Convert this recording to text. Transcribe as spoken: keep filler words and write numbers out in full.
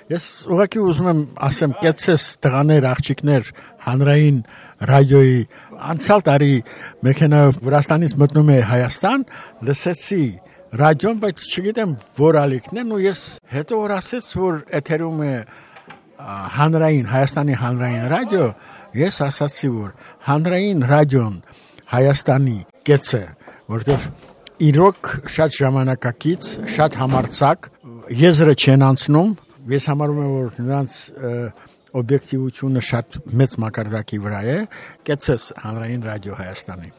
Ես ուղղակի ուզում եմ ասեմ, կեցես տղաներ, աղջիկներ, հանրային ռադիոյի անցյալ տարի մեքենայով Վրաստանից մտնում է Հայաստան, լսեցի ռադիոն, բայց չգիտեմ որ ալիքն են ու ես հետո որ ասեց, որ էթերում է հանրային, Հայաստանի հանրային ռադիո, ես ասացի, որ հանրային ռադիոն Հայաստանի կեցը, որտեղ իրոք շատ ժամանակակից, շատ համարձակ, եզրը չեն անցնում, ես համարում եմ, որ նրանց օբյեկտիվությունը շատ մեծ մակարդակի վրա է, կեցես հանրային ռադիո Հայաստանի։